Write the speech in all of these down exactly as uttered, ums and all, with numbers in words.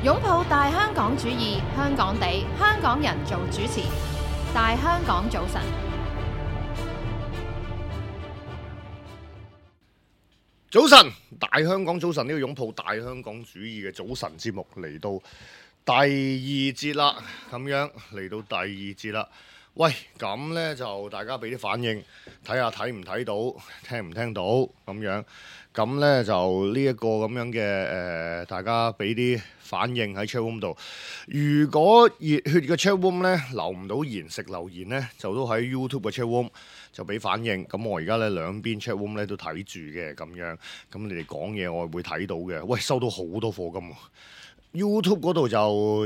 擁抱大香港主義，香港地，香港人做主持。大香港早晨，早晨，大香港早晨，呢個擁抱大香港主義嘅早晨節目嚟到第二節啦，咁樣嚟到第二節啦。喂，咁呢就大家俾啲反應，睇下睇唔睇到，聽唔聽到咁樣。咁呢就呢一個咁樣嘅誒、呃，大家俾啲反應喺 chatroom 度。如果熱血嘅 chatroom 呢留唔到言食留言呢，就都喺 YouTube 嘅 chatroom 就俾反應。咁我而家呢兩邊 chatroom 呢都睇住嘅咁樣。咁你哋講嘢我會睇到嘅。喂，收到好多課金喎。YouTube 嗰度就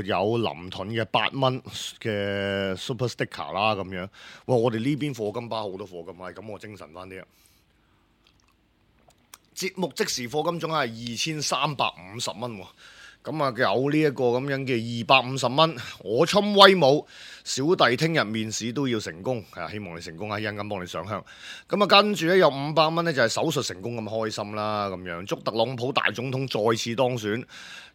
有林盾嘅八蚊嘅 Super Sticker 啦咁樣。哇！我哋呢邊課金包好多課金啊，咁我精神翻啲啊！節目即時課金總係二千三百五十蚊喎。咁啊有呢一個咁樣嘅二百五十蚊，我侵威武，小弟聽日面試都要成功，係啊，希望你成功啊，一陣間幫你上香。咁啊跟住咧有五百蚊咧就係手術成功咁開心啦，咁樣祝特朗普大總統再次當選。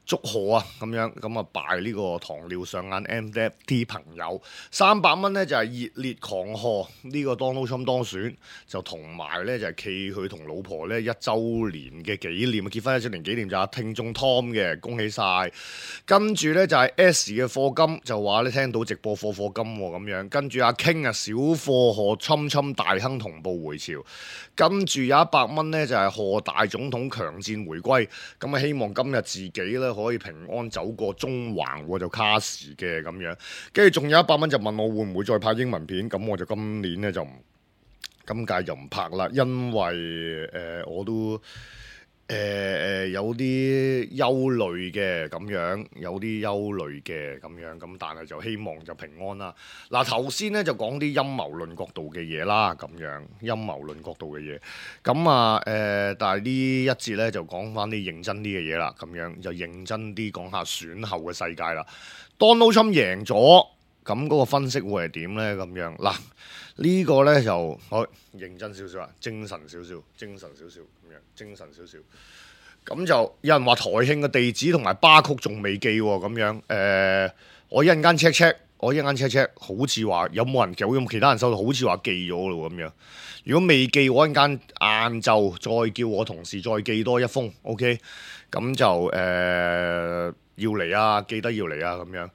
祝賀啊！咁樣咁啊，拜呢個糖尿上眼 M D F T 朋友三百蚊咧就係、是、熱烈狂賀呢個 Donald Trump 當選，就同埋咧就係暨佢同老婆咧一週年嘅紀念，結婚一週年紀念就係聽眾 Tom 嘅，恭喜晒！跟住咧就係 S 嘅課金就話咧聽到直播課課金喎咁樣，跟住阿 King 啊小貨賀侵侵大亨同步回潮，跟住有一百蚊咧就係、是、賀大總統強戰回歸，咁啊希望今日自己咧。可以平安走過中環，我就卡時嘅咁樣，跟住仲有一百蚊就問我會唔會再拍英文片，咁我就今年咧就唔，今屆就唔拍啦，因為誒、呃、我都誒誒、呃、有啲憂慮嘅咁樣，有啲憂慮嘅咁樣，咁但係就希望就平安啦。嗱頭先咧就講啲陰謀論角度嘅嘢啦，咁樣陰謀論角度嘅嘢，咁啊誒、呃，但係呢一節咧就講翻啲認真啲嘅嘢啦，咁樣就認真啲講下選後嘅世界啦。Donald Trump 贏咗，咁嗰個分析會係點咧？咁樣嗱。呢個呢就我認真少少啊，精神少少，精神少少咁樣，精神少少。咁就有人話台慶嘅地址同埋巴曲仲未寄喎，咁樣誒、呃，我一陣間 check check，我一陣間 check check，好似話有冇人有冇其他人收到，好似話寄咗咯咁樣。如果未寄，我一陣間晏晝再叫我同事再寄多一封 ，OK？ 咁就誒、呃、要嚟啊，記得要嚟啊，咁樣。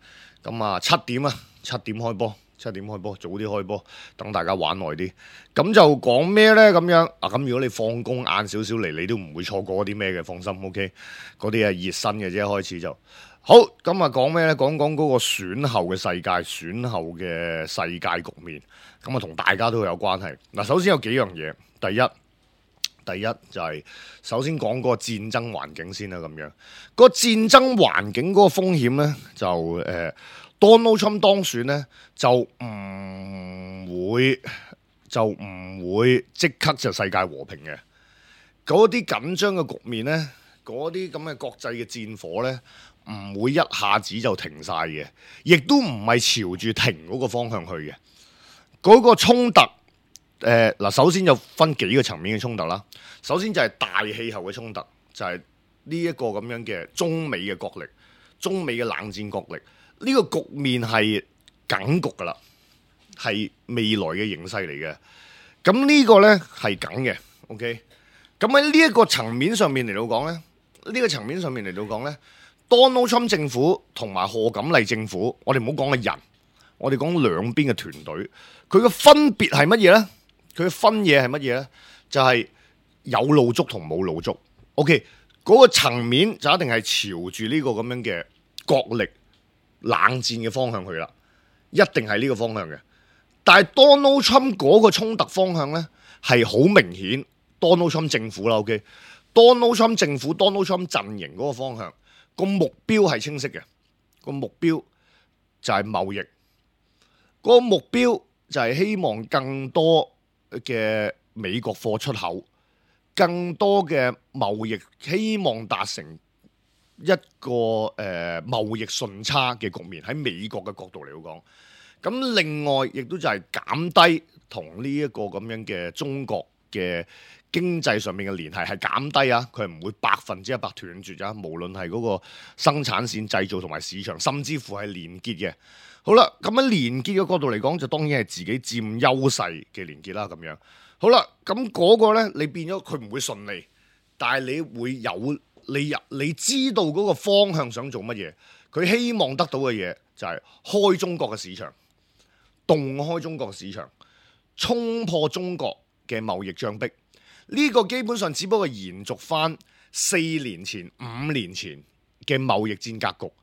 咁啊七點啊，七點開波。七點開波，早啲開波，等大家玩耐啲。咁就講咩呢？咁樣啊，咁如果你放工晏少少嚟，你都唔會錯過啲咩嘅，放心 OK。嗰啲係熱身嘅啫，開始就好。咁啊講咩呢？講講嗰個選後嘅世界，選後嘅世界局面。咁啊同大家都有關係。嗱，首先有幾樣嘢。第一，第一就係、是、首先講嗰個戰爭環境先啦。咁樣、個戰爭環境嗰個風險呢，就誒。呃 Donald Trump 當選咧，就唔會就唔會即刻就世界和平嘅。嗰啲緊張嘅局面咧，嗰啲咁嘅國際嘅戰火咧，唔會一下子就停晒嘅，亦都唔係朝住停嗰個方向去嘅。嗰、嗰個衝突，誒、呃、嗱，首先就分幾個層面嘅衝突啦。首先就係大氣候嘅衝突，就係呢一個咁樣嘅中美嘅角力，中美嘅冷戰角力。呢個局面係梗局㗎啦，係未來嘅形勢嚟嘅。咁呢個呢係梗嘅 ，OK。咁喺呢一個層面上面嚟到講呢，呢、呢個層面上面嚟到講呢 Donald Trump 政府同埋賀錦麗政府，我哋唔好講嘅人，我哋講兩邊嘅團隊，佢嘅分別係乜嘢呢？佢嘅分野係乜嘢呢？就係、係、有路捉同冇路捉。OK，嗰個層面就一定係朝住呢個咁樣嘅角力。冷戰嘅方向去啦，一定係呢個方向嘅。但係 Donald Trump 嗰個衝突方向呢，係好明顯 Donald Trump 政府啦 ，OK？Donald Trump 政府 Donald Trump 陣營嗰個方向，個目標係清晰嘅。個目標就係貿易，個目標就係希望更多嘅美國貨出口，更多嘅貿易，希望達成一個誒、呃、貿易順差嘅局面，喺美國嘅角度嚟講，咁另外亦都就係減低同呢一個咁樣嘅中國嘅經濟上面嘅聯繫係減低啊，佢係唔會百分之一百斷絕啊。無論係嗰個生產線、製造同埋市場，甚至乎係連結嘅。好啦，咁喺連結嘅角度嚟講，就當然係自己佔優勢嘅連結啦。咁樣好啦，咁嗰個呢，你變咗佢唔會順利，但係你會有你入你知道嗰個方向想做乜嘢，佢希望得到嘅嘢就係開中國嘅市場，洞開中國嘅市場，衝破中國嘅貿易障壁。呢個基本上只不過延續翻四年前、五年前嘅貿易戰格局。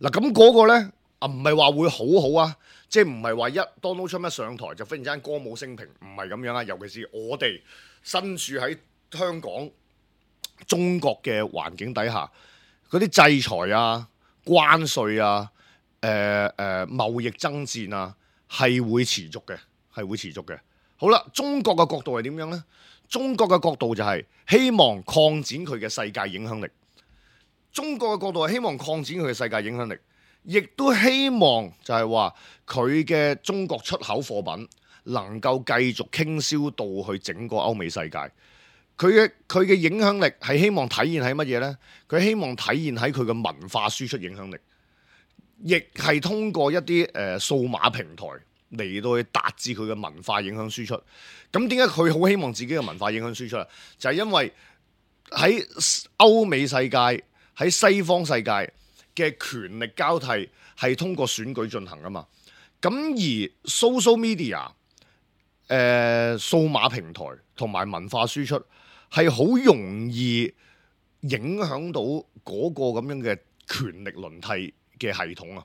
嗱，咁嗰個呢，啊，唔係話會好好啊，即係唔係話一 Donald Trump 一上台就忽然之間歌舞升平，唔係咁樣啊。尤其是我哋身處喺香港、中國嘅環境底下，嗰啲制裁啊、關稅啊、誒、呃、誒、呃、貿易爭戰啊，係會持續嘅，係會持續嘅。好啦，中國嘅角度係點樣呢？中國嘅角度就係希望擴展佢嘅世界影響力。中國嘅角度係希望擴展佢嘅世界影響力，亦都希望就係話佢嘅中國出口貨品能夠繼續傾銷到去整個歐美世界。佢嘅佢嘅影響力係希望體現喺乜嘢呢？佢希望體現喺佢嘅文化輸出影響力，亦係通過一啲誒、呃、數碼平台嚟到去達至佢嘅文化影響輸出。咁點解佢好希望自己嘅文化影響輸出啊？就係、是、因為喺歐美世界、喺西方世界嘅權力交替係通過選舉進行啊嘛。咁而 social media、誒、呃、數碼平台同埋文化輸出係好容易影響到嗰個咁樣嘅權力輪替嘅系統啊。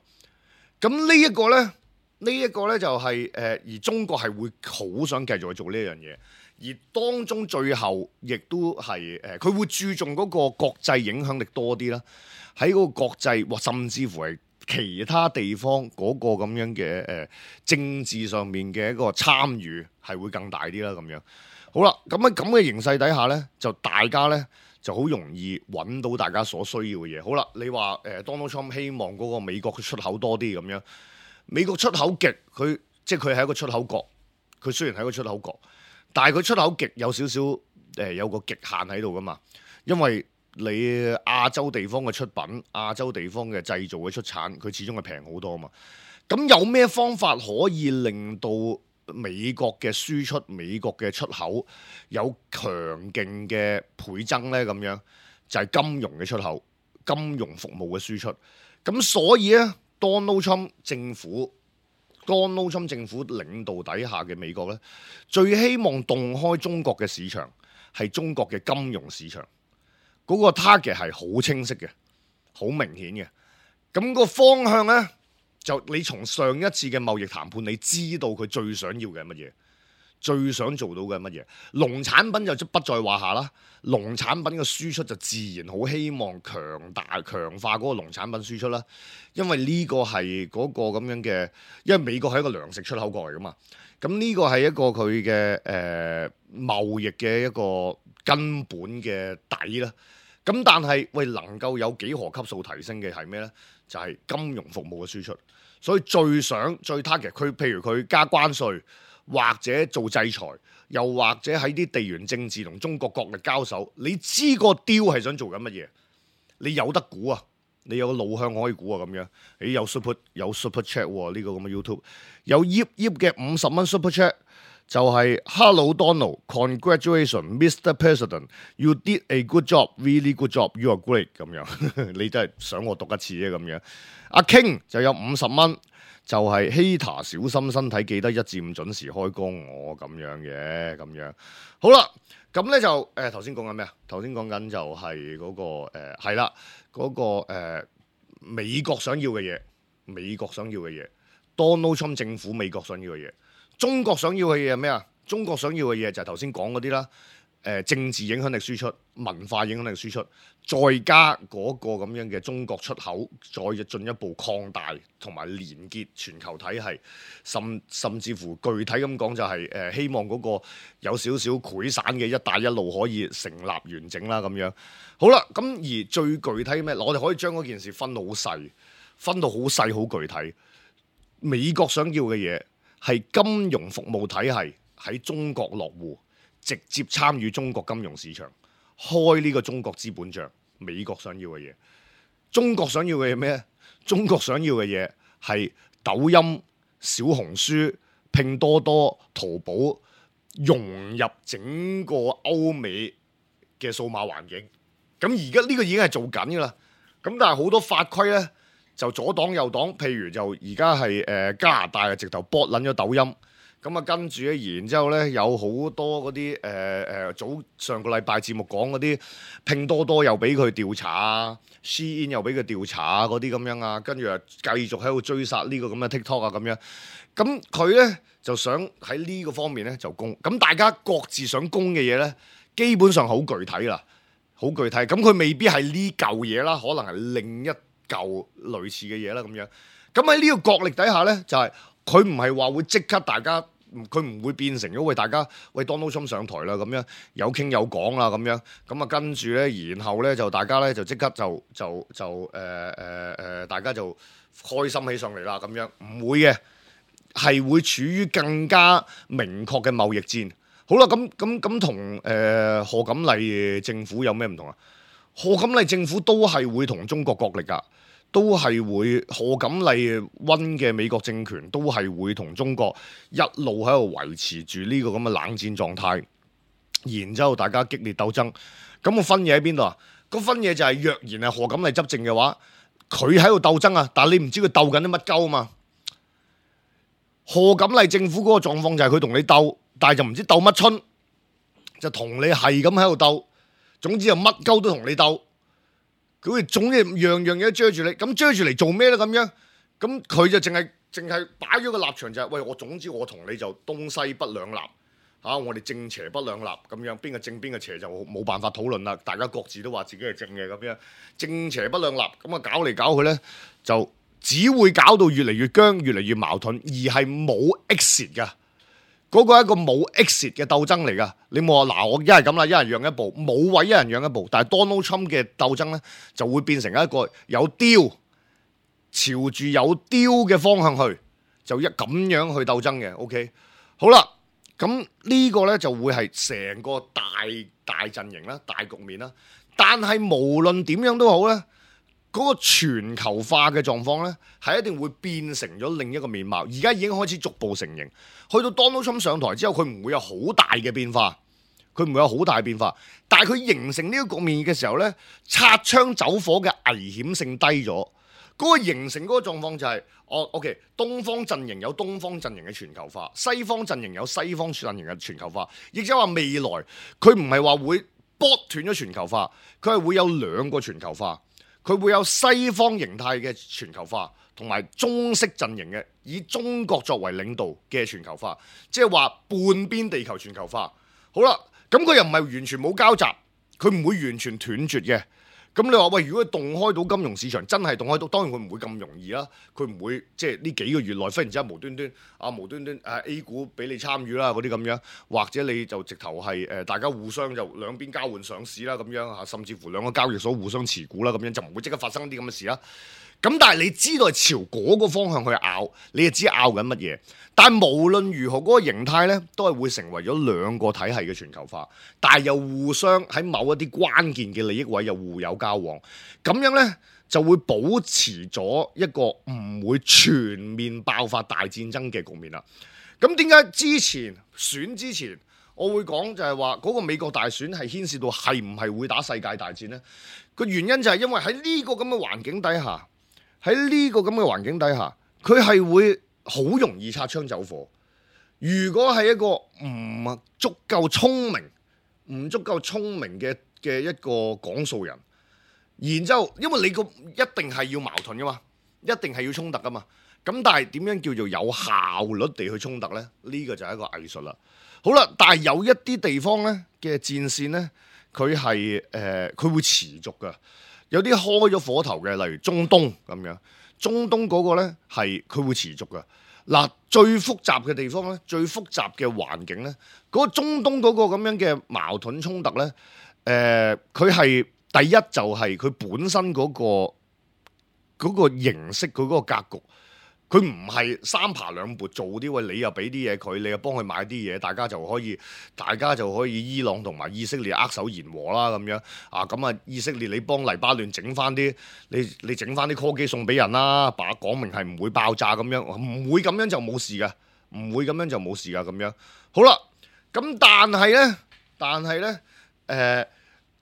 咁呢一個呢。呢一個呢，就係、是、誒、呃，而中國係會好想繼續去做呢樣嘢，而當中最後亦都係誒，佢、呃、會注重嗰個國際影響力多啲啦，喺嗰個國際或甚至乎係其他地方嗰個咁樣嘅誒、呃、政治上面嘅一個參與係會更大啲啦。咁樣好啦，咁喺咁嘅形勢底下呢，就大家呢就好容易揾到大家所需要嘅嘢。好啦，你話誒、呃、Donald Trump 希望嗰個美國嘅出口多啲咁樣。美國出口極，佢即係佢係一個出口國。佢雖然係一個出口國，但係佢出口極有少少誒、呃、有個極限喺度噶嘛。因為你亞洲地方嘅出品、亞洲地方嘅製造嘅出產，佢始終係平好多嘛。咁有咩方法可以令到美國嘅輸出、美國嘅出口有強勁嘅倍增呢？咁樣就係、是、金融嘅出口、金融服務嘅輸出。咁所以咧。Donald Trump 政府，Donald Trump 政府領導底下嘅美國咧，最希望洞開中國嘅市場係中國嘅金融市場。嗰、那個 target 係好清晰嘅，好明顯嘅。咁、那個方向咧，就你從上一次嘅貿易談判，你知道佢最想要嘅係乜嘢，最想做到嘅係乜嘢。農產品就不在話下啦。農產品嘅輸出就自然好希望強大強化嗰個農產品輸出啦，因為呢個係嗰個咁樣嘅，因為美國係一個糧食出口國嚟噶嘛，咁呢個係一個佢嘅誒貿易嘅一個根本嘅底啦。咁但係喂，能夠有幾何級數提升嘅係咩呢？就係、是、金融服務嘅輸出，所以最想最 target 佢，譬如佢加關稅或者做制裁。又或者喺啲地緣政治同中國國力交手，你知個 deal 係想做緊乜嘢？你有得估啊！你有個路向可以估啊！咁樣，你有 super 有 super chat 喎、哦？呢、這個咁嘅 YouTube 有 Yip Yip 嘅五十蚊 super chat 就係 Hello Donald Congratulations Mister President You did a good job Really good job You are great 咁樣，你真係想我讀一次啫咁樣。阿 King 就有五十蚊。就係 Hater 小心身體，記得一至五準時開工，我咁樣嘅咁樣。好啦，咁咧就誒頭先講緊咩啊？頭先講緊就係嗰、那個誒係啦，嗰、那個誒、呃、美國想要嘅嘢，美國想要嘅嘢 ，Donald Trump 政府美國想要嘅嘢，中國想要嘅嘢係咩啊？中國想要嘅嘢就係頭先講嗰啲啦。誒、呃、政治影響力輸出、文化影響力輸出，再加嗰個咁樣嘅中國出口，再進一步擴大同埋連結全球體系，甚甚至乎具體咁講就係、是、誒、呃、希望嗰個有少少潰散嘅一帶一路可以成立完整啦咁樣。好啦，咁而最具體咩？我哋可以將嗰件事分到好細，分到好細好具體。美國想要嘅嘢係金融服務體系喺中國落戶。直接參與中國金融市場，開呢個中國資本帳。美國想要嘅嘢，中國想要嘅嘢咩？中國想要嘅嘢係抖音、小紅書、拼多多、淘寶融入整個歐美嘅數碼環境。咁而家呢個已經係做緊㗎啦。咁但係好多法規呢，就左擋右擋。譬如就而家係誒加拿大啊，直頭剝撚咗抖音。咁啊，跟住咧，然之後咧，有好多嗰啲誒誒早上個禮拜節目講嗰啲拼多多又俾佢調查啊 ，Shein 又俾佢調查啊，嗰啲咁樣啊，跟住啊繼續喺度追殺呢個咁嘅 TikTok 啊咁樣。咁佢咧就想喺呢個方面咧就攻。咁大家各自想攻嘅嘢咧，基本上好具體啦，好具體。咁佢未必係呢嚿嘢啦，可能係另一嚿類似嘅嘢啦咁樣。咁喺呢個角力底下咧，就係佢唔係話會即刻大家。佢唔會變成咗喂大家喂 Donald Trump 上台啦咁樣有傾有講啦咁樣咁啊跟住咧，然後咧就大家咧就即刻就就就誒誒誒大家就開心起上嚟啦咁樣，唔會嘅，係會處於更加明確嘅貿易戰。好啦，咁咁咁同誒賀錦麗政府有咩唔同啊？賀錦麗政府都係會同中國角力㗎。都係會賀錦麗溫嘅美國政權都係會同中國一路喺度維持住呢個咁嘅冷戰狀態，然之後大家激烈鬥爭。咁個分野喺邊度啊？個分野就係若然係賀錦麗執政嘅話，佢喺度鬥爭啊，但係你唔知佢鬥緊啲乜鳩啊嘛。賀錦麗政府嗰個狀況就係佢同你鬥，但係就唔知鬥乜春，就同你係咁喺度鬥。總之就乜鳩都同你鬥。佢總之樣樣嘢都追住你，咁追住嚟做咩咧？咁樣，咁佢就淨係淨係擺咗個立場就係、是，喂，我總之我同你就東西不兩立，嚇、啊、我哋正邪不兩立咁樣，邊個正邊個邪就冇辦法討論啦。大家各自都話自己係正嘅咁樣，正邪不兩立，咁啊搞嚟搞去咧，就只會搞到越嚟越僵，越嚟越矛盾，而係冇 exit 㗎。嗰個係一個冇 exit 嘅鬥爭嚟㗎，你冇話嗱，我一係咁啦，一人讓一步，冇位一人讓一步，但係 Donald Trump 嘅鬥爭咧就會變成一個有雕，朝住有雕嘅方向去，就一咁樣去鬥爭嘅。OK， 好啦，咁呢個咧就會係成個大大陣營啦、大局面啦。但係無論點樣都好咧，嗰個全球化嘅狀況咧，係一定會變成咗另一個面貌。而家已經開始逐步成型。去到 Donald Trump 上台之後，佢唔會有好大嘅變化，佢唔會有好大嘅變化。但係佢形成呢個局面嘅時候咧，擦槍走火嘅危險性低咗。嗰個形成嗰個狀況就係，哦 OK， 東方陣營有東方陣營嘅全球化，西方陣營有西方陣營嘅全球化。亦即係話未來佢唔係話會剝斷咗全球化，佢係會有兩個全球化。佢會有西方形態嘅全球化，同埋中式陣營嘅以中國作為領導嘅全球化，即係話半邊地球全球化。好啦，咁佢又唔係完全冇交集，佢唔會完全斷絕嘅。咁你話喂，如果佢動開到金融市場，真係動開到，當然佢唔會咁容易啦。佢唔會即係呢幾個月內忽然之間無端端啊無端端誒 A 股俾你參與啦嗰啲咁樣，或者你就直頭係誒大家互相就兩邊交換上市啦咁樣嚇，甚至乎兩個交易所互相持股啦咁樣，就唔會即刻發生啲咁嘅事啦。咁但係你知道係朝嗰個方向去拗，你就知拗緊乜嘢。但係無論如何，嗰、那個形態咧都係會成為咗兩個體系嘅全球化，但係又互相喺某一啲關鍵嘅利益位又互有交往，咁樣咧就會保持咗一個唔會全面爆發大戰爭嘅局面啦。咁點解之前選之前我會講就係話嗰個美國大選係牽涉到係唔係會打世界大戰呢？個原因就係因為喺呢個咁嘅環境底下。喺呢個咁嘅環境底下，佢係會好容易擦槍走火。如果係一個唔足夠聰明、唔足夠聰明嘅嘅一個講數人，然之後，因為你個一定係要矛盾噶嘛，一定係要衝突噶嘛。咁但係點樣叫做有效率地去衝突呢？呢個就係一個藝術啦。好啦，但係有一啲地方呢嘅戰線呢，佢係誒佢會持續噶。有啲開咗火頭嘅，例如中東咁樣，中東嗰個呢係佢會持續嘅。嗱，最複雜嘅地方呢，最複雜嘅環境呢，嗰、嗰個中東嗰個咁樣嘅矛盾衝突呢，誒佢係第一就係佢本身嗰、嗰個嗰、嗰個形式，佢嗰個格局，佢唔係三爬兩撥做啲喂，你又俾啲嘢佢，你又幫佢買啲嘢，大家就可以，大家就可以伊朗同埋以色列握手言和啦咁樣啊。咁啊，以色列你幫黎巴嫩整翻啲，你你整翻啲科技送俾人啦，把講明係唔會爆炸咁樣，唔會咁樣就冇事㗎，唔會咁樣就冇事㗎咁樣。好啦，咁但係咧，但係咧，誒、呃、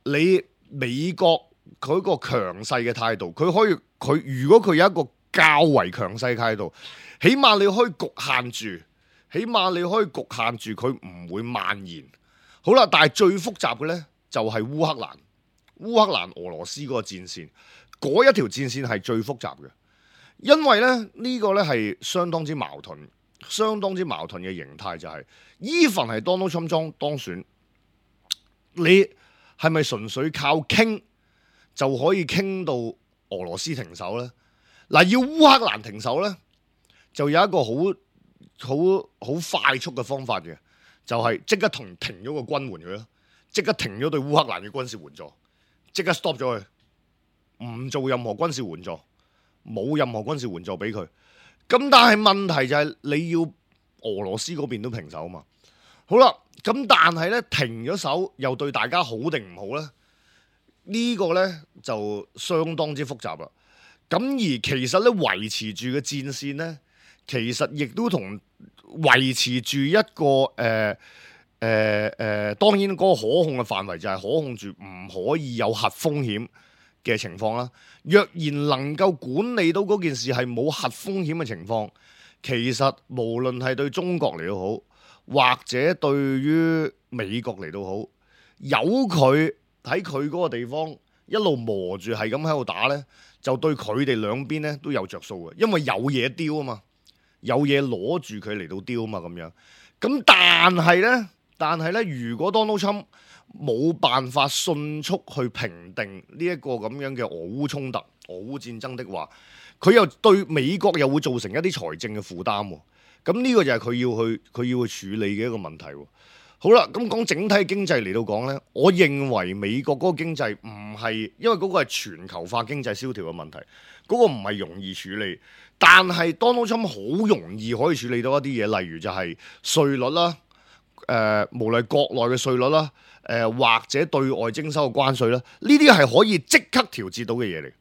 你美國佢個強勢嘅態度，佢可以佢如果佢有一個較為強勢態度，起碼你可以局限住，起碼你可以局限住佢唔會蔓延。好啦，但係最複雜嘅呢，就係烏克蘭，烏克蘭俄羅斯嗰個戰線，嗰一條戰線係最複雜嘅，因為咧呢、呢個呢係相當之矛盾，相當之矛盾嘅形態就係，even係 Donald Trump 當選，你係咪純粹靠傾就可以傾到俄羅斯停手呢？嗱，要烏克蘭停手呢，就有一個好好好快速嘅方法嘅，就係即刻同停咗個軍援佢咯，即刻停咗對烏克蘭嘅軍事援助，即刻 stop 咗佢，唔做任何軍事援助，冇任何軍事援助俾佢。咁但係問題就係你要俄羅斯嗰邊都停手啊嘛。好啦，咁但係呢，停咗手又對大家好定唔好呢？呢個呢，就相當之複雜啦。咁而其實咧維持住嘅戰線咧，其實亦都同維持住一個誒誒誒，當然嗰個可控嘅範圍就係可控住唔可以有核風險嘅情況啦。若然能夠管理到嗰件事係冇核風險嘅情況，其實無論係對中國嚟都好，或者對於美國嚟都好，由佢喺佢嗰個地方一路磨住係咁喺度打咧，就對佢哋兩邊咧都有着數嘅，因為有嘢丟啊嘛，有嘢攞住佢嚟到丟啊嘛咁樣。咁但係咧，但係咧，如果 Donald Trump 冇辦法迅速去平定呢一個咁樣嘅俄烏衝突、俄烏戰爭的話，佢又對美國又會造成一啲財政嘅負擔喎。咁呢個就係佢要去佢要去處理嘅一個問題喎。好啦，咁講整體經濟嚟到講呢，我認為美國嗰個經濟唔係，因為嗰個係全球化經濟蕭條嘅問題，嗰個唔係容易處理。但係 Donald Trump 好容易可以處理到一啲嘢，例如就係稅率啦，誒、呃，無論國內嘅稅率啦，誒、呃、或者對外徵收嘅關稅啦，呢啲係可以即刻調節到嘅嘢嚟，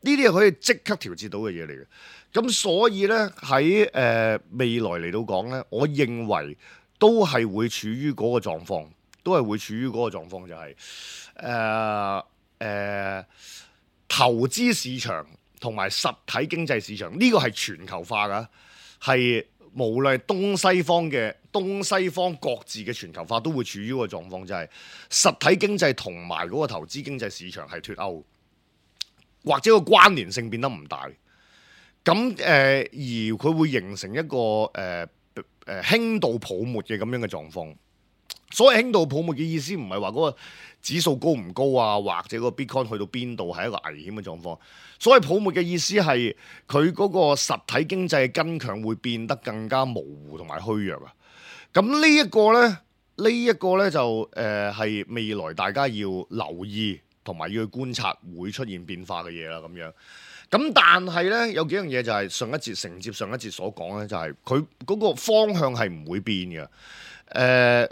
呢啲係可以即刻調節到嘅嘢嚟嘅。咁所以呢，喺誒、呃、未來嚟到講呢，我認為都係會處於嗰個狀況，都係會處於嗰個狀況，就係誒誒投資市場同埋實體經濟市場呢、這個係全球化㗎，係無論係東西方嘅東西方各自嘅全球化都會處於嗰個狀況，就係、是、實體經濟同埋嗰個投資經濟市場係脫鈎，或者個關聯性變得唔大。咁誒、呃、而佢會形成一個誒。呃誒輕度泡沫嘅咁樣嘅狀況，所謂輕度泡沫嘅意思唔係話嗰個指數高唔高啊，或者個 Bitcoin 去到邊度係一個危險嘅狀況。所謂泡沫嘅意思係佢嗰個實體經濟嘅根強會變得更加模糊同埋虛弱啊。咁呢一個呢，呢、呢、一個呢就誒係、呃、未來大家要留意同埋要去觀察會出現變化嘅嘢啦，咁樣。咁但係咧有幾樣嘢就係上一節承接上一節所講咧，就係佢嗰個方向係唔會變嘅。誒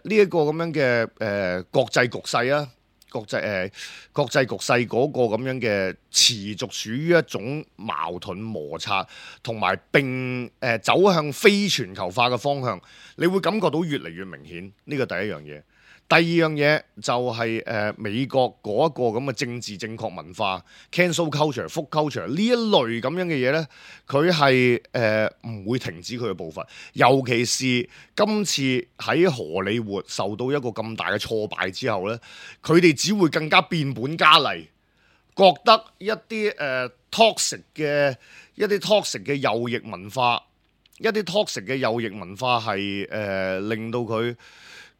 呢一個咁樣嘅誒、呃、國際局勢啊，國際誒、呃、國際局勢嗰個咁樣嘅持續處於一種矛盾摩擦，同埋並誒、呃、走向非全球化嘅方向，你會感覺到越嚟越明顯。呢個第一樣嘢。第二樣嘢就係、是、誒、呃、美國嗰一個咁嘅政治正確文化 cancel culture、food culture 呢一類咁樣嘅嘢呢，佢係誒唔會停止佢嘅步伐。尤其是今次喺荷里活受到一個咁大嘅挫敗之後呢，佢哋只會更加變本加厲，覺得一啲誒、呃、toxic 嘅一啲 toxic 嘅右翼文化，一啲 toxic 嘅右翼文化係誒、呃、令到佢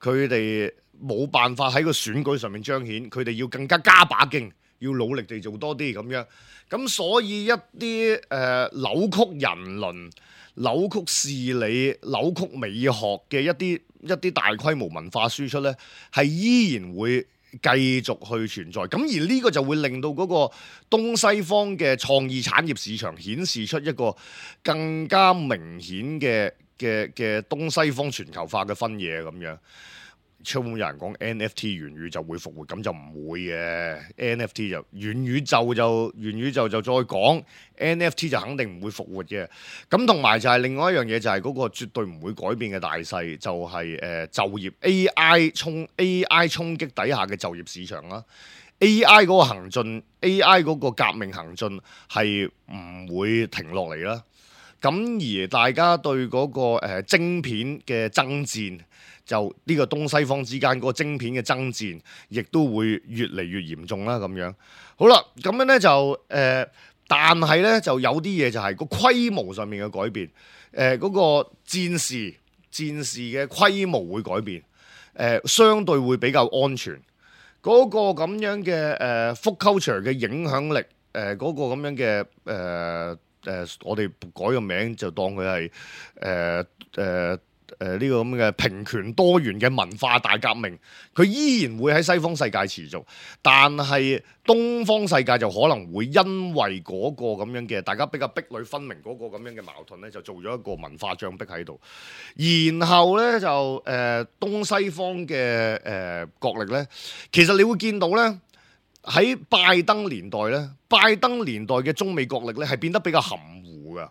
佢哋冇辦法喺個選舉上面彰顯，佢哋要更加加把勁，要努力地做多啲咁樣。咁所以一啲誒、呃、扭曲人倫、扭曲事理、扭曲美學嘅一啲一啲大規模文化輸出呢，係依然會繼續去存在。咁而呢個就會令到嗰個東西方嘅創意產業市場顯示出一個更加明顯嘅嘅嘅東西方全球化嘅分野咁樣。超有人講 N F T 元宇宙會復活，咁就唔會嘅。N F T 就元宇宙就元宇宙就再講 N F T 就肯定唔會復活嘅。咁同埋就係另外一樣嘢，就係嗰個絕對唔會改變嘅大勢，就係、是、誒、呃、就業 A I 衝 A I 衝擊底下嘅就業市場啦。A I 嗰個行進 A I 嗰個革命行進係唔會停落嚟啦。咁而大家對嗰、那個、呃、晶片嘅爭戰，就呢個東西方之間嗰個晶片嘅爭戰，亦都會越嚟越嚴重啦。咁樣好啦，咁樣咧就誒、呃，但係咧就有啲嘢就係個規模上面嘅改變，誒、呃、嗰、那個戰士戰士嘅規模會改變，誒、呃、相對會比較安全。嗰、那個咁樣嘅誒 food culture 嘅影響力，誒、呃、嗰、那個咁樣嘅誒。呃誒、呃，我哋改個名就當佢係誒誒誒呢個咁嘅平權多元嘅文化大革命，佢依然會喺西方世界持續，但係東方世界就可能會因為嗰個咁樣嘅大家比較壁壘分明嗰個咁樣嘅矛盾咧，就做咗一個文化障壁喺度，然後咧就誒、呃、東西方嘅誒、呃、角力咧，其實你會見到咧。喺拜登年代咧，拜登年代嘅中美角力咧係變得比較含糊㗎。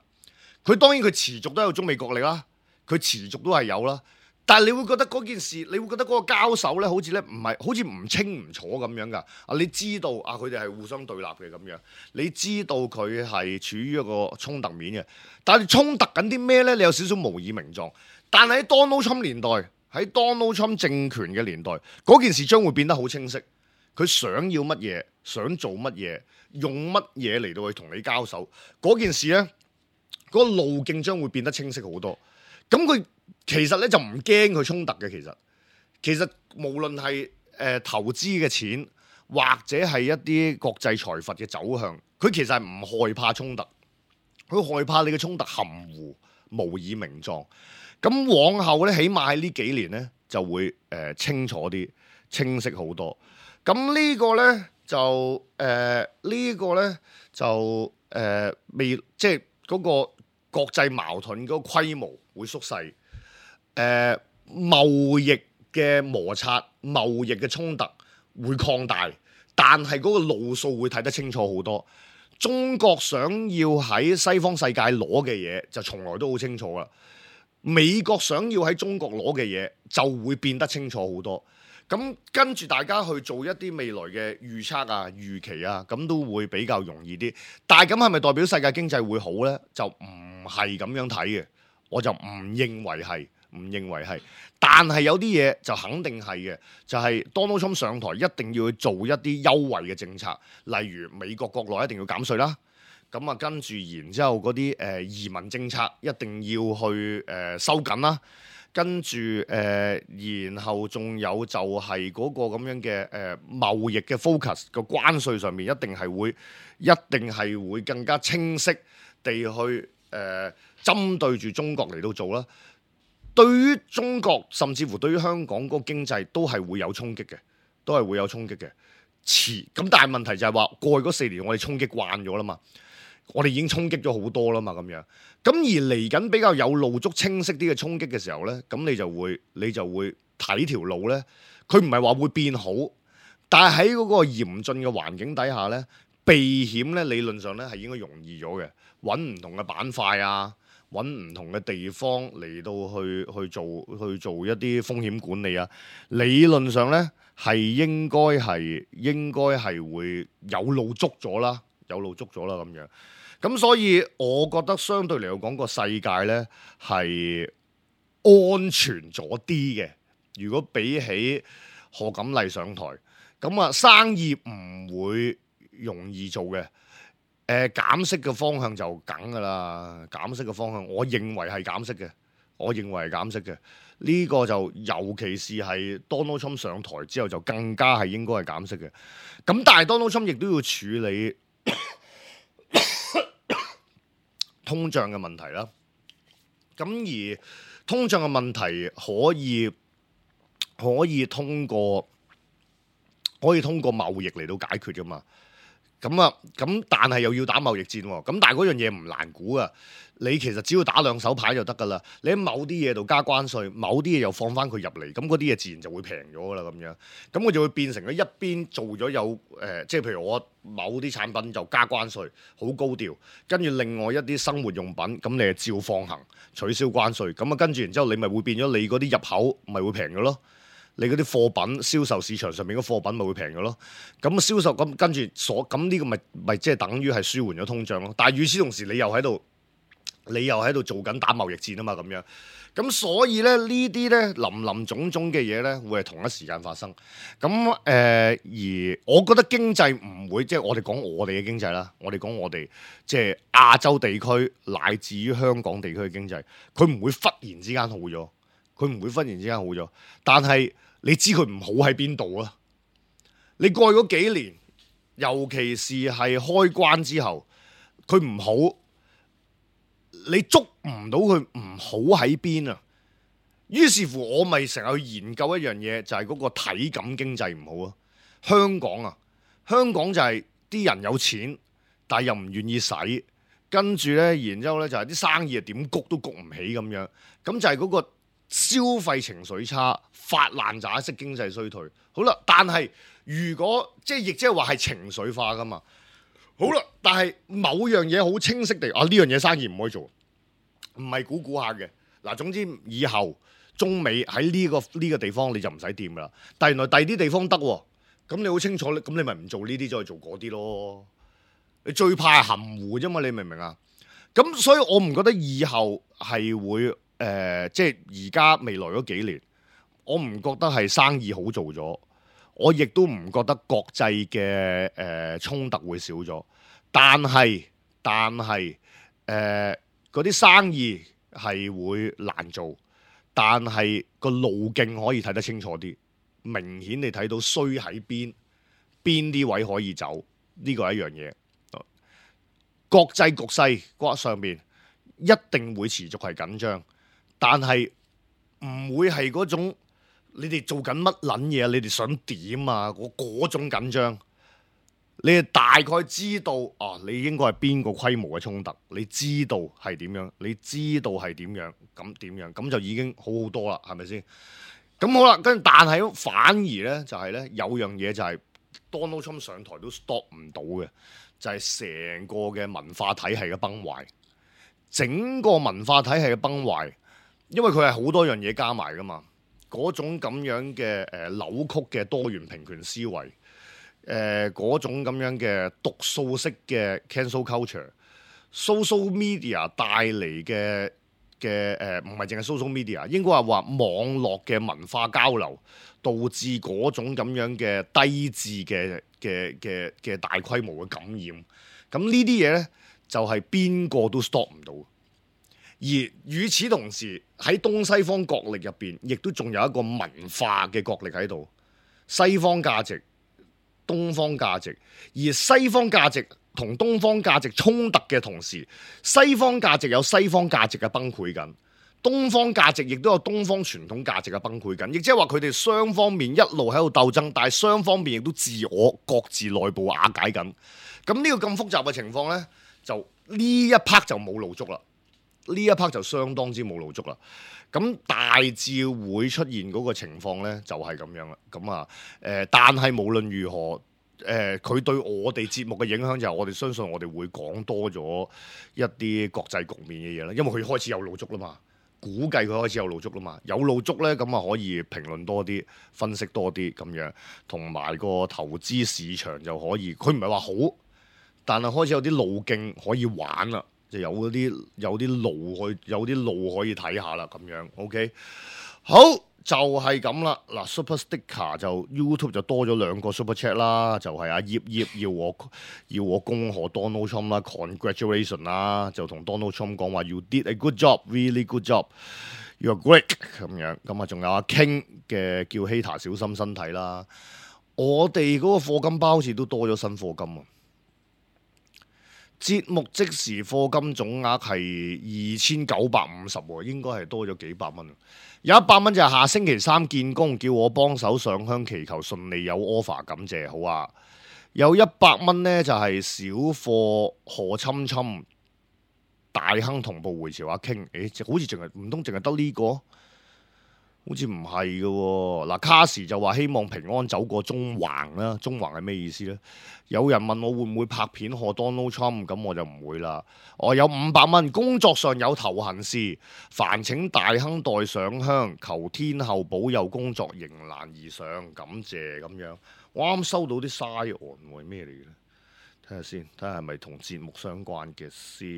佢當然佢持續都有中美角力啦，佢持續都係有啦。但係你會覺得嗰件事，你會覺得嗰個交手咧，好似咧唔係，好似唔清唔楚咁樣㗎。啊，你知道啊，佢哋係互相對立嘅咁樣，你知道佢係處於一個衝突面嘅。但係衝突緊啲咩咧？你有少少無以名狀。但係喺 Donald Trump 年代，喺 Donald Trump 政權嘅年代，嗰件事將會變得好清晰。佢想要乜嘢，想做乜嘢，用乜嘢嚟到去同你交手，嗰件事呢，嗰、嗰個路徑將會變得清晰好多。咁佢其實呢，就唔驚佢衝突嘅，其實其實無論係誒、呃、投資嘅錢，或者係一啲國際財閥嘅走向，佢其實係唔害怕衝突，佢害怕你嘅衝突含糊無以名狀。咁往後呢，起碼喺呢幾年呢，就會誒、呃、清楚啲、清晰好多。咁呢個呢，就誒呢、呃呢個呢，就誒、呃、未即係嗰個國際矛盾嗰個規模會縮細，誒、呃、貿易嘅摩擦、貿易嘅衝突會擴大，但係嗰個路數會睇得清楚好多。中國想要喺西方世界攞嘅嘢就從來都好清楚啦，美國想要喺中國攞嘅嘢就會變得清楚好多。咁跟住大家去做一啲未來嘅預測啊、預期啊，咁都會比較容易啲。但係咁係咪代表世界經濟會好呢？就唔係咁樣睇嘅，我就唔認為係，唔認為係。但係有啲嘢就肯定係嘅，就係 Donald Trump 上台一定要去做一啲優惠嘅政策，例如美國國內一定要減稅啦。咁啊，跟住然之後嗰啲誒移民政策一定要去誒、呃、收緊啦。跟住誒、呃，然後仲有就係嗰個咁樣嘅誒、呃、貿易嘅 focus 個關稅上面，一定係會一定係會更加清晰地去誒、呃、針對住中國嚟到做啦。對於中國甚至乎對於香港嗰個經濟都係會有衝擊嘅，都係會有衝擊嘅。遲咁，但係問題就係話過去嗰四年我哋衝擊慣咗啦嘛。我哋已經衝擊咗好多啦嘛，咁樣咁而嚟緊比較有路足清晰啲嘅衝擊嘅時候呢，咁你就會你就會睇條路呢。佢唔係話會變好，但係喺嗰個嚴峻嘅環境底下呢，避險呢理論上呢係應該容易咗嘅，揾唔同嘅板塊啊，揾唔同嘅地方嚟到去去做去做一啲風險管理啊，理論上呢係應該係應該係會有路足咗啦。有路捉咗啦咁樣，咁所以我覺得相對嚟講個世界呢係安全咗啲嘅。如果比起賀錦麗上台，咁啊生意唔會容易做嘅。誒、呃、減息嘅方向就梗㗎啦，減息嘅方向我認為係減息嘅，我認為係減息嘅。呢、這個就尤其是係 Donald Trump 上台之後就更加係應該係減息嘅。咁但係 Donald Trump 亦都要處理通脹嘅問題啦，咁而通脹嘅問題可以可以通過可以通過貿易嚟到解決噶嘛。咁啊，咁但係又要打貿易戰喎。咁但係嗰樣嘢唔難估啊。你其實只要打兩手牌就得㗎啦。你喺某啲嘢度加關稅，某啲嘢又放翻佢入嚟，咁嗰啲嘢自然就會平咗㗎啦。咁樣，咁佢就會變成咗一邊做咗有誒、呃，即係譬如我某啲產品就加關稅，好高調，跟住另外一啲生活用品，咁你係照放行取消關稅，咁啊跟住然之後你咪會變咗你嗰啲入口咪會平咗咯。你嗰啲貨品銷售市場上面嘅貨品咪會平咗咯。咁銷售咁跟住所咁呢個咪咪即係等於係舒緩咗通脹咯。但係與此同時你又喺度。你又喺度做緊打貿易戰啊嘛，咁樣，咁所以咧呢啲咧林林總總嘅嘢咧，會係同一時間發生。咁誒、呃，而我覺得經濟唔會，即係我哋講我哋嘅經濟啦，我哋講我哋即係亞洲地區乃至於香港地區嘅經濟，佢唔會忽然之間好咗，佢唔會忽然之間好咗。但係你知佢唔好喺邊度啊？你過去嗰幾年，尤其是係開關之後，佢唔好。你捉唔到佢唔好喺邊啊？於是乎我咪成日去研究一樣嘢，就係嗰個體感經濟唔好啊。香港啊，香港就係啲人有錢，但係又唔願意使，跟住呢，然之後呢，就係啲生意啊點谷都谷唔起咁樣，咁就係嗰個消費情緒差，發爛渣式經濟衰退。好啦，但係如果即係亦即係話係情緒化噶嘛。好啦，但係某樣嘢好清晰地啊，呢樣嘢生意唔可以做，唔係估估下嘅。嗱，總之以後中美喺呢個呢個地方你就唔使掂噶啦。但係原來第二啲地方得喎，咁你好清楚，咁你咪唔做呢啲，再去做嗰啲咯。你最怕係含糊啫嘛，你明唔明啊？咁所以我唔覺得以後係會誒、呃，即係而家未來嗰幾年，我唔覺得係生意好做咗。我亦都唔覺得國際嘅誒衝突會少咗，但係但係誒嗰啲生意係會難做，但係個路徑可以睇得清楚啲，明顯你睇到衰喺邊，邊啲位可以走，呢個係一樣嘢。國際局勢嗰上面一定會持續係緊張，但係唔會係嗰種。你哋做緊乜撚嘢？你哋想點啊？嗰嗰種緊張，你哋大概知道啊，你應該係邊個規模嘅衝突？你知道係點樣？你知道係點樣？咁點樣？咁就已經好好多啦，係咪先？咁好啦，跟住但係反而咧就係、是、咧有樣嘢就係 Donald Trump 上台都 stop 唔到嘅，就係、是、成個嘅文化體系嘅崩壞，整個文化體系嘅崩壞，因為佢係好多樣嘢加埋噶嘛。嗰種咁樣嘅誒、呃、扭曲嘅多元平權思維，誒、呃、嗰種咁樣嘅毒素式嘅 cancel culture，social media 帶嚟嘅嘅誒唔係淨係 social media，應該係話網絡嘅文化交流，導致嗰種咁樣嘅低智嘅嘅嘅嘅大規模嘅感染。咁呢啲嘢咧就係邊個都 stop 唔到。而與此同時，喺東西方角力入邊，亦都仲有一個文化嘅角力喺度。西方價值、東方價值，而西方價值同東方價值衝突嘅同時，西方價值有西方價值嘅崩潰緊，東方價值亦都有東方傳統價值嘅崩潰緊。亦即係話佢哋雙方面一路喺度鬥爭，但係雙方面亦都自我各自內部瓦解緊。咁呢個咁複雜嘅情況呢，就呢一 part 就冇路捉啦。呢一 part 就相當之冇路捉啦，咁大致會出現嗰個情況呢，就係咁樣啦。咁啊，誒，但係無論如何，誒、呃，佢對我哋節目嘅影響就係我哋相信我哋會講多咗一啲國際局面嘅嘢啦，因為佢開始有路捉啦嘛，估計佢開始有路捉啦嘛，有路捉呢，咁啊可以評論多啲，分析多啲咁樣，同埋個投資市場就可以，佢唔係話好，但係開始有啲路徑可以玩啦。就有嗰啲有啲路去有啲路可以睇下啦，咁樣 OK 好就係咁啦。嗱 Super Sticker 就 YouTube 就多咗兩個 Super Chat 啦，就係阿葉葉要我要我恭賀 Donald Trump 啦 ，Congratulation 啦，就同 Donald Trump 講話 You did a good job, really good job, you're great 咁樣。咁啊，仲有阿 King 嘅叫 Hater 小心身體啦。我哋嗰個課金包好似都多咗新課金啊！節目即時課金總額係二千九百五十喎，應該係多咗幾百蚊。有一百蚊就係下星期三見工，叫我幫手上香祈求順利有 offer，感謝好啊。有一百蚊呢，就係小貨何侵侵大亨同步回潮阿傾，誒好似淨係唔通淨係得呢個？好似唔係嘅喎。嗱，卡士就話希望平安走過中環啦，中環係咩意思呢？有人問我會唔會拍片學 Donald Trump，咁我就唔會啦。我有五百蚊，工作上有頭痕事，煩請大亨代上香，求天后保佑工作迎難而上，感謝咁樣。我啱收到啲嘥案喎，咩嚟嘅咧？睇下先，睇下係咪同節目相關嘅先，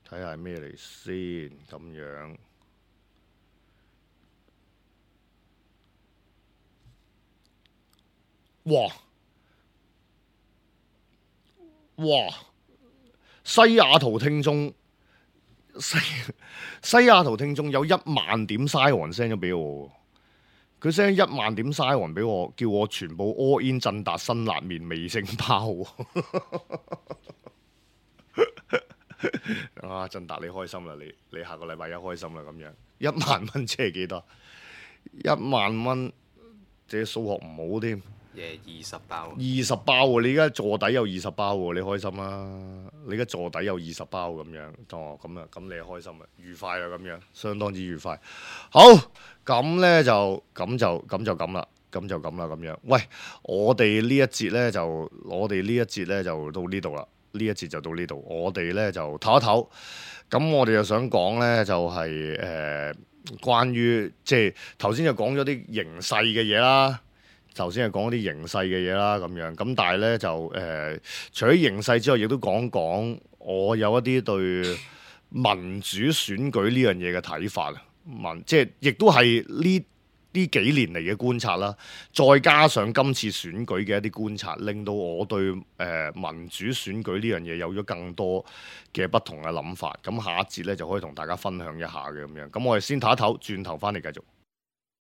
睇下係咩嚟先咁樣。哇哇！西雅圖聽眾西西雅圖聽眾有一萬點嘥黃 send 咗俾我，佢 send 一萬點嘥黃俾我，叫我全部 all in 振達辛辣麵味星包。啊，振達你開心啦，你你下個禮拜一開心啦咁樣。一萬蚊即係幾多？一萬蚊，即係數學唔好添。二十包，二十包喎！你而家坐底有二十包喎，你開心啦！你而家坐底有二十包咁樣，哦咁啊，咁你開心啊，愉快啊咁樣，相當之愉快。好，咁呢就咁就咁就咁啦，咁就咁啦咁樣。喂，我哋呢一節呢，就，我哋呢一節呢，就到呢度啦，呢一節就到呢度，我哋呢，就唞一唞。咁我哋就想講呢，就係、是、誒、呃、關於即係頭先就講咗啲形勢嘅嘢啦。頭先係講啲形勢嘅嘢啦，咁樣咁，但係咧就誒、呃，除咗形勢之外，亦都講講我有一啲對民主選舉呢樣嘢嘅睇法啊，民即係亦都係呢呢幾年嚟嘅觀察啦，再加上今次選舉嘅一啲觀察，令到我對誒、呃、民主選舉呢樣嘢有咗更多嘅不同嘅諗法。咁下一節咧就可以同大家分享一下嘅咁樣。咁我哋先唞一唞，轉頭翻嚟繼續。